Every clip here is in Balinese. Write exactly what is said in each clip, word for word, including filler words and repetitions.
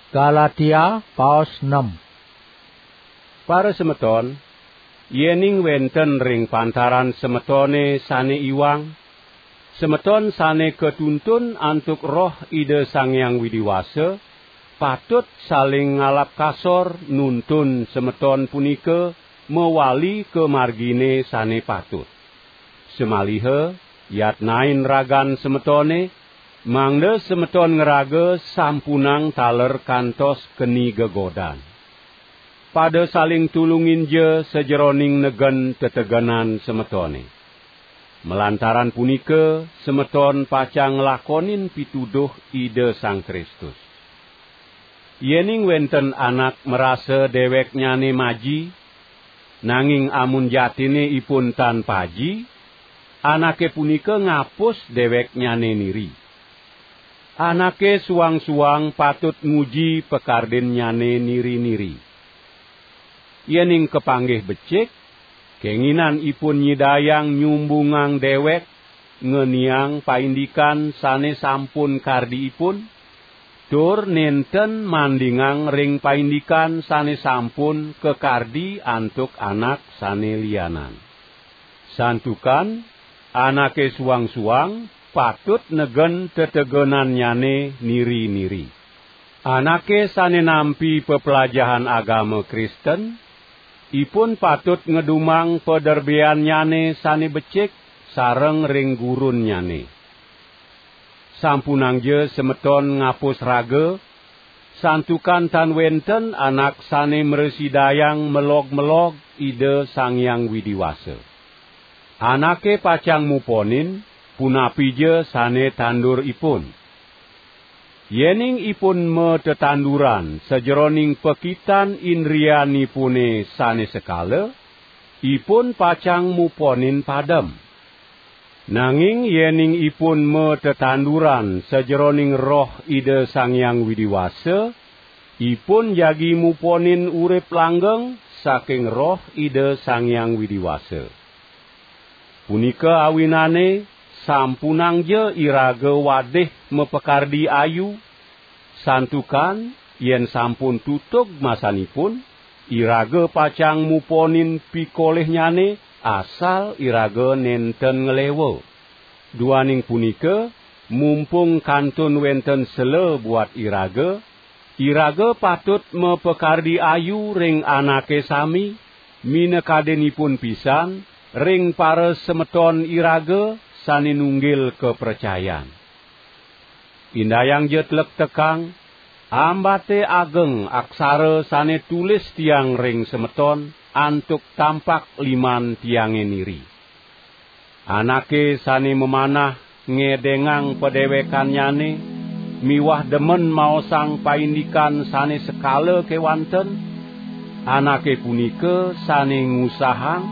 Galatia paos enam. Para semeton, yening wenten ring pantaran semetone sane iwang, semeton sane katuntun antuk Roh Ida Sang Hyang Widi Wasa, patut saling ngalap kasor nuntun semeton punika mawali ka margine sane patut. Samaliha yatnain ragan semetone, mangda semeton ngraga sampunang taler kantos keni gegodan. Pada saling tulunginja sajeroning negen tetegenan semetone. Malantaran punika, semeton pacang nglakonin pituduh Ida Sang Kristus. Yening wenten anak marasa deweknyane maji, nanging amun jatine ipun tan paji, anake punika ngapus deweknyane niri. Anake suang-suang patut nguji pakardinnyane niri-niri. Yening kapanggih becik, kenginan ipun nyidayang nyumbungang dewek, ngeniang paindikan sane sampun kardi ipun, tur nenten mandingang ring paindikan sane sampun kakardi antuk anak sane lianan. Santukan anake suang-suang patut negen tetegenannyane niri-niri. Anake sane nampi peplajahan agama Kristen, ipun patut ngedumang paderbeannyane sane becik sareng ring gurunnyane. Sampunangja semeton ngapus raga, santukan tan wenten anak sane mrasidayang melog-melog Ida Sang Hyang Widi Wasa. Anake pacang muponin, punapija sane tanduripun. Yening ipun matetanduran sajeroning pakitan indrianipune sane sekala, ipun pacang muponin padem. Nanging yening ipun matetanduran sajeroning Roh Ida Sang Hyang Widi Wasa, ipun jagi muponin urip langgeng saking Roh Ida Sang Hyang Widi Wasa. Punika awinane, sampunangja iraga wadih mapakardi ayu, santukan yen sampun tutug masanipun, iraga pacang muponin pikolihnyane, asal iraga nenten nglewa. Duaning punika, mumpung kantun wenten sela buat iraga, iraga patut mapakardi ayu ring anake sami, minakadinipun pisan ring parasemeton iraga sane nunggil kapracayan. Indayangja tlektekang, ambate ageng aksara sane tulis tiang ring semeton antuk tampak liman tiange niri. Anake sane mamanah ngedengang padewekannyane miwah demen maosang paindikan sane sekala kewanten, anake punika sane ngusahang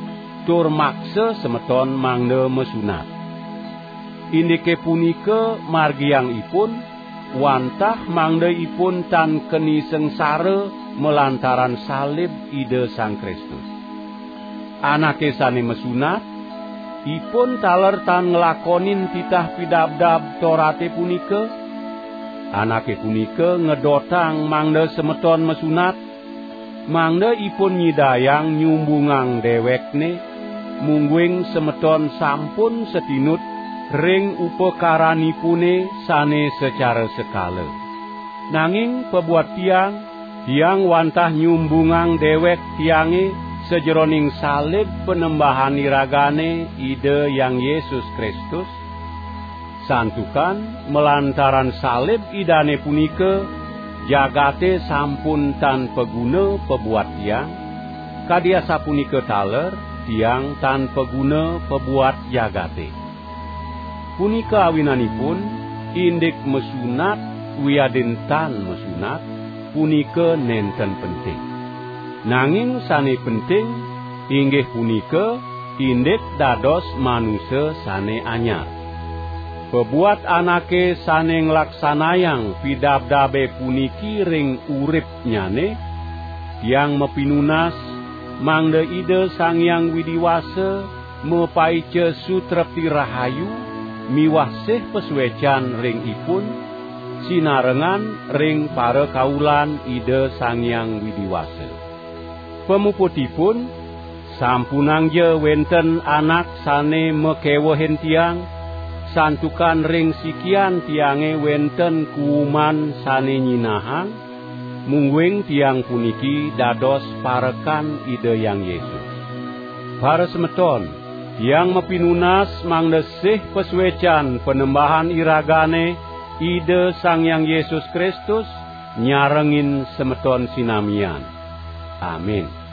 tur maksa semeton mangda masunat. Indike punika margiang ipun, wantah mangda ipun tan keni sangsara malantaran salib Ida Sang Kristus. Anake sane masunat, ipun taler tan nglakonin titah pidabdab Torate punika. Anake punika ngedotang mangda semeton masunat, mangda ipun nyidayang nyumbungang dewekne, mungguing semeton sampun satinut ring upakaranipune sane sacara sekala. Nanging pabuat tiang, tiang wantah nyumbungang dewek tiange sajeroning salib Panembahan iragane, Ida Hyang Yesus Kristus, santukan malantaran salib Idane punika, jagate sampun tan paguna pabuat tiang, kadi asapunika taler tiang tan paguna pabuat jagate. Punika awinanipun, indik masunat wiadin tan masunat, punika nenten penting. Nanging sane penting, inggih punika indik dados manusa sane anyar. Pabuat anake sane nglaksanayang pidabdabe puniki ring uripnyane, tiang mapinunas mangda Ida Sang Hyang Widi Wasa mapaica sutrepti rahayu miwah sih pasuecan ring ipun, sinarengan ring parakaulan Ida Sang Hyang Widi Wasa. Pamuputipun, sampunangja wenten anak sane makewehin tiang, santukan ring sikian tiange wenten kuuman sane nyinahang, mungguing tiang puniki dados parekan Ida Hyang Yesus. Parasemeton, tiang mapinunas mangda sih pasuecan Panembahan iragane, Ida Sang Hyang Yesus Kristus, nyarengin semeton sinamian. Amin.